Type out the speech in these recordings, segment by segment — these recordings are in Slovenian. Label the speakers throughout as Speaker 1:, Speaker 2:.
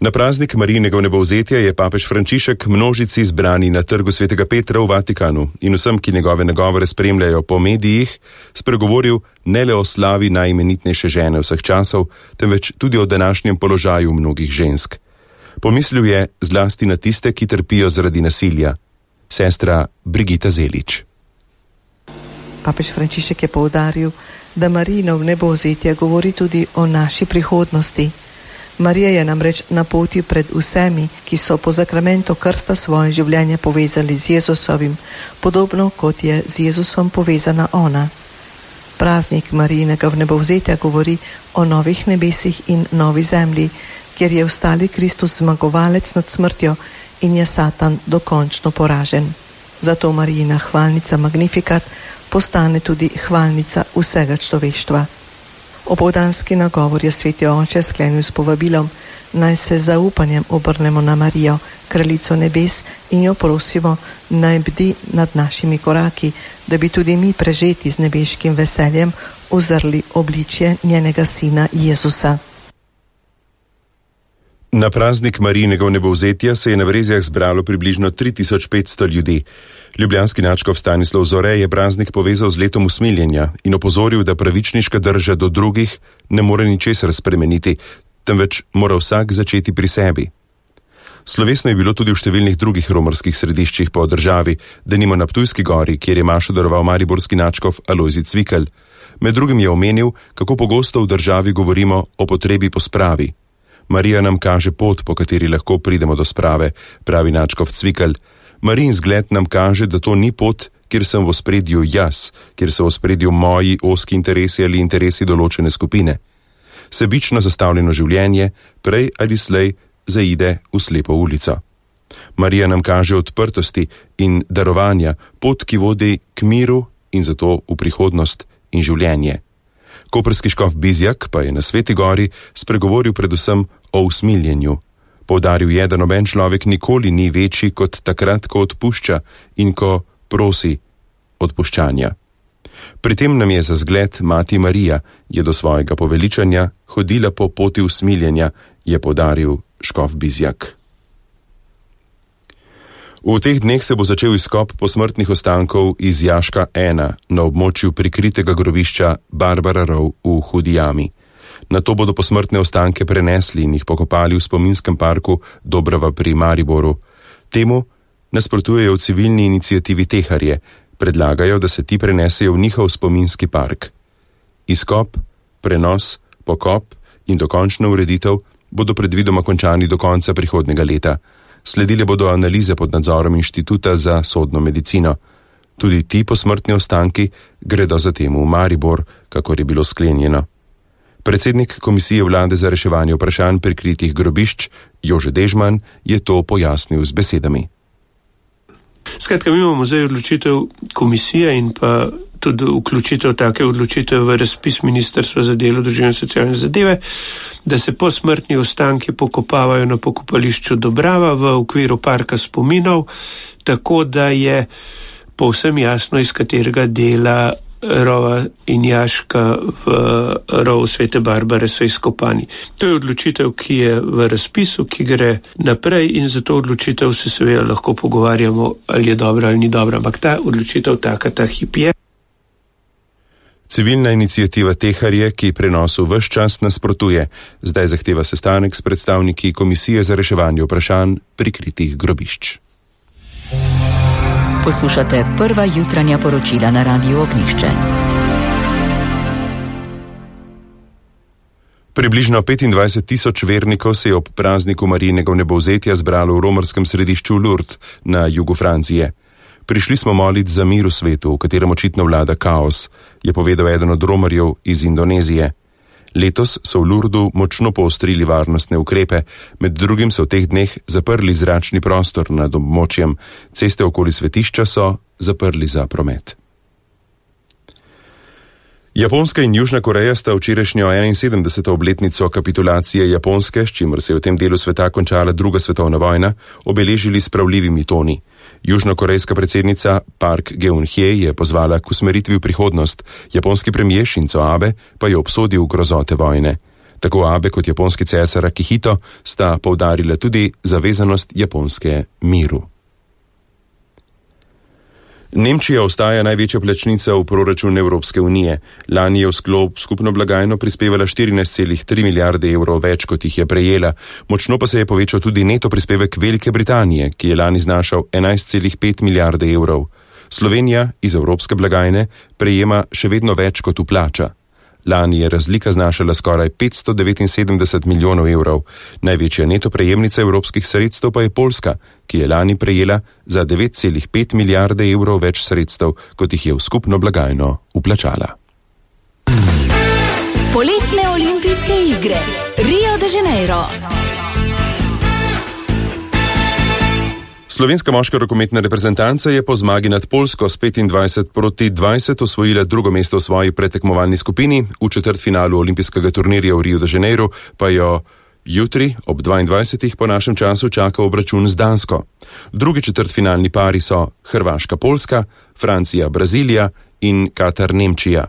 Speaker 1: Na praznik Marijinega vnebovzetja je papež Frančišek množici zbrani na trgu svetega Petra v Vatikanu in vsem, ki njegove nagovore spremljajo po medijih, spregovoril ne le o slavi najimenitnejše žene vseh časov, temveč tudi o današnjem položaju mnogih žensk. Pomislil je zlasti na tiste, ki trpijo zaradi nasilja. Sestra Brigita Zelič.
Speaker 2: Papež Frančišek je poudaril, da Marijino vnebovzetje govori tudi o naši prihodnosti. Marija je namreč na poti pred vsemi, ki so po zakramentu krsta svoje življenje povezali z Jezusovim, podobno kot je z Jezusom povezana ona. Praznik Marijinega vnebovzetja govori o novih nebesih in novi zemlji, kjer je vstali Kristus zmagovalec nad smrtjo in je Satan dokončno poražen. Zato Marijina hvalnica Magnificat postane tudi hvalnica vsega človeštva. Opoldanski nagovor je sveti oče sklenil s povabilom, naj se z zaupanjem obrnemo na Marijo, kraljico nebes, in jo prosimo, naj bdi nad našimi koraki, da bi tudi mi prežeti z nebeškim veseljem uzrli obličje njenega sina Jezusa.
Speaker 1: Na praznik Marijinega vnebovzetja se je na Vrezjah zbralo približno 3500 ljudi. Ljubljanski nadškof Stanislav Zore je praznik povezal z letom usmiljenja in opozoril, da pravičniška drža do drugih ne more ničesar spremeniti, temveč mora vsak začeti pri sebi. Slovesno je bilo tudi v številnih drugih romarskih središčih po državi, denimo na Ptujski gori, kjer je mašo daroval mariborski nadškof Alojzij Cvikl. Med drugim je omenil, kako pogosto v državi govorimo o potrebi po spravi. Marija nam kaže pot, po kateri lahko pridemo do sprave, pravi nadškof Cvikl. Marijin zgled nam kaže, da to ni pot, kjer sem v ospredju jaz, kjer so v ospredju moji ozki interesi ali interesi določene skupine. Sebično zastavljeno življenje prej ali slej zaide v slepo ulico. Marija nam kaže odprtosti in darovanja, pot, ki vodi k miru in zato v prihodnost in življenje. Koprski škof Bizjak pa je na Sveti gori spregovoril predvsem o usmiljenju. Poudaril je, da noben človek nikoli ni večji kot takrat, ko odpušča in ko prosi odpuščanja. Pri tem nam je za zgled mati Marija, je do svojega poveličanja hodila po poti usmiljenja, je poudaril škof Bizjak. V teh dneh se bo začel izkop posmrtnih ostankov iz jaška 1 na območju prikritega grobišča Barbara Rov v Hudi jami. Nato bodo posmrtne ostanke prenesli in jih pokopali v spominskem parku Dobrava pri Mariboru. Temu nasprotujejo v civilni iniciativi Teharje, predlagajo, da se ti prenesejo v njihov spominski park. Izkop, prenos, pokop in dokončna ureditev bodo predvidoma končani do konca prihodnjega leta. Sledile bodo analize pod nadzorom Inštituta za sodno medicino. Tudi ti posmrtni ostanki gredo zatem v Maribor, kakor je bilo sklenjeno. Predsednik Komisije vlade za reševanje vprašanj prikritih grobišč Jože Dežman je to pojasnil z besedami.
Speaker 3: Skratka, mi imamo zdaj odločitev komisije in pa tudi vključitev take odločitev v razpis Ministrstva za delo, družino in socialne zadeve, da se posmrtni ostanki pokopavajo na pokopališču Dobrava v okviru parka spominov, tako da je povsem jasno, iz katerega dela rova in jaška v rovu Svete Barbare so izkopani. To je odločitev, ki je v razpisu, ki gre naprej in za to odločitev se seveda lahko pogovarjamo, ali je dobra ali ni dobra, ampak ta odločitev ta hip je.
Speaker 1: Civilna iniciativa Teharje, ki prenosu ves čas nasprotuje, zdaj zahteva sestanek s predstavniki Komisije za reševanje vprašanj prikritih grobišč.
Speaker 4: Poslušate prva jutranja poročila na Radiu Ognjišče.
Speaker 1: Približno 25.000 vernikov se je ob prazniku Marijinega vnebovzetja zbralo v romarskem središču Lourdes na jugu Francije. Prišli smo moliti za mir v svetu, v katerem očitno vlada kaos, je povedal eden od romarjev iz Indonezije. Letos so v Lourdu močno poostrili varnostne ukrepe, med drugim so v teh dneh zaprli zračni prostor nad območjem, ceste okoli svetišča so zaprli za promet. Japonska in Južna Koreja sta včerajšnjo 71. obletnico kapitulacije Japonske, s čimer se je v tem delu sveta končala druga svetovna vojna, obeležili s pravljivimi toni. Južnokorejska predsednica Park Geun-hye je pozvala k usmeritvi v prihodnost, japonski premijer Shinzo Abe pa je obsodil grozote vojne. Tako Abe kot japonski cesar Akihito sta poudarila tudi zavezanost Japonske miru. Nemčija ostaja največja plačnica v proračun Evropske unije. Lani je v sklop skupno blagajno prispevala 14,3 milijarde evrov več, kot jih je prejela. Močno pa se je povečal tudi neto prispevek Velike Britanije, ki je lani znašal 11,5 milijarde evrov. Slovenija iz evropske blagajne prejema še vedno več, kot vplača. Lani je razlika znašala skoraj 579 milijonov evrov. Največja neto prejemnica evropskih sredstev pa je Poljska, ki je lani prejela za 9,5 milijarde evrov več sredstev, kot jih je v skupno blagajno vplačala.
Speaker 4: Poletne olimpijske igre Rio de Janeiro.
Speaker 1: Slovenska moška rokometna reprezentanca je po zmagi nad Poljsko s 25-20 osvojila drugo mesto v svoji predtekmovalni skupini. V četrtfinalu olimpijskega turnirja v Rio de Janeiro pa jo jutri ob 22. po našem času čaka obračun z Dansko. Drugi četrtfinalni pari so Hrvaška-Poljska, Francija-Brazilija in Katar-Nemčija.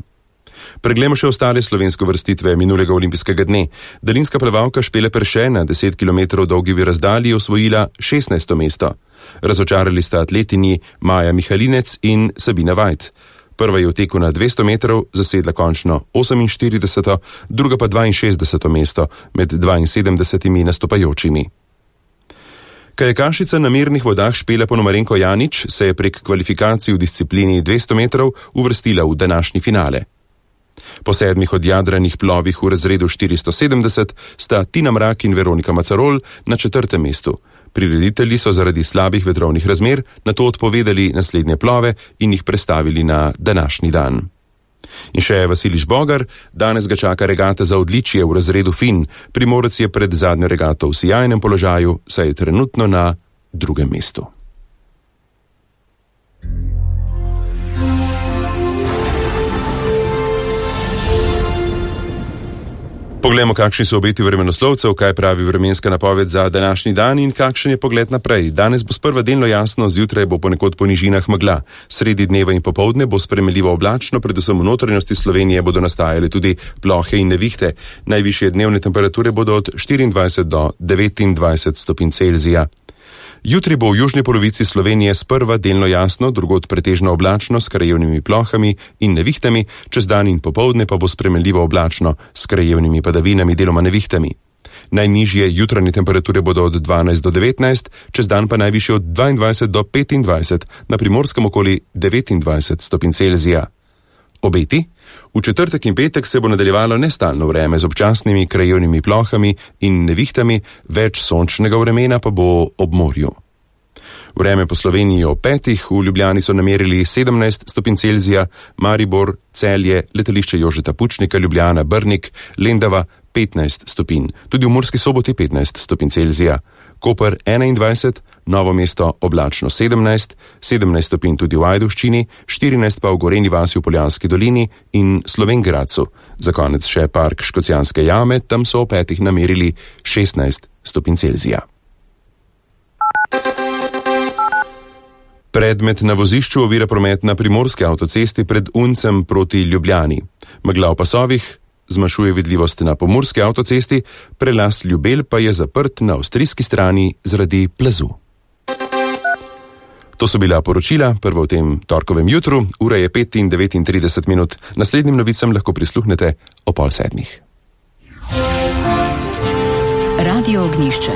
Speaker 1: Preglejmo še ostale slovenske vrstitve minulega olimpijskega dne. Daljinska plavalka Špele Perše na 10 km dolgi razdalji osvojila 16. mesto. Razočarali sta atletinji Maja Mihalinec in Sabina Vajt. Prva je v teku na 200 metrov zasedla končno 48., druga pa 62. mesto med 72 nastopajočimi. Kajakašica na mirnih vodah Špela Ponomarenko Janić se je prek kvalifikacij v disciplini 200 metrov uvrstila v današnji finale. Po 7 odjadranih plovih v razredu 470 sta Tina Mrak in Veronika Macarol na 4. mestu. Prireditelji so zaradi slabih vetrovnih razmer nato odpovedali naslednje plove in jih prestavili na današnji dan. In še Vasiliš Bogar, danes ga čaka regata za odličje v razredu Fin. Primorec je pred zadnjo regato v sijajnem položaju, saj je trenutno na 2. mestu. Poglejmo, kakšni so obeti vremenoslovcev, kaj pravi vremenska napoved za današnji dan in kakšen je pogled naprej. Danes bo sprva delno jasno, zjutraj bo ponekod po nižinah megla. Sredi dneva in popoldne bo spremenljivo oblačno, predvsem v notranjosti Slovenije bodo nastajale tudi plohe in nevihte. Najvišje dnevne temperature bodo od 24 do 29 stopinj Celzija. Jutri bo v južni polovici Slovenije sprva delno jasno, drugod pretežno oblačno s krajevnimi plohami in nevihtami, čez dan in popoldne pa bo spremenljivo oblačno s krajevnimi padavinami, deloma nevihtami. Najnižje jutranje temperature bodo od 12 do 19, čez dan pa najvišje od 22 do 25, na Primorskem okoli 29 stopinj Celzija. Obeti? V četrtek in petek se bo nadaljevalo nestalno vreme z občasnimi krajevnimi plohami in nevihtami, več sončnega vremena pa bo ob morju. Vreme po Sloveniji ob 5, v Ljubljani so namerili 17 stopinj Celzija, Maribor, Celje, letališče Jožeta Pučnika, Ljubljana, Brnik, Lendava 15 stopinj, tudi v Murski Soboti 15 stopinj Celzija, Koper 21, Novo mesto oblačno 17, 17 stopinj tudi v Ajdovščini, 14 pa v Gorenji vasi v Poljanski dolini in Slovenj Gradcu. Za konec še park Škocjanske jame, tam so ob 5 namerili 16 stopinj Celzija. Predmet na vozišču ovira promet na primorski avtocesti pred Uncem proti Ljubljani. Megla v pasovih zmanjšuje vidljivost na pomurski avtocesti, prelaz Ljubelj pa je zaprt na avstrijski strani zaradi plazu. To so bila poročila, prvo v tem torkovem jutru, ura je 5:39. Naslednjim novicam lahko prisluhnete o 6:30.
Speaker 4: Radio Ognjišče.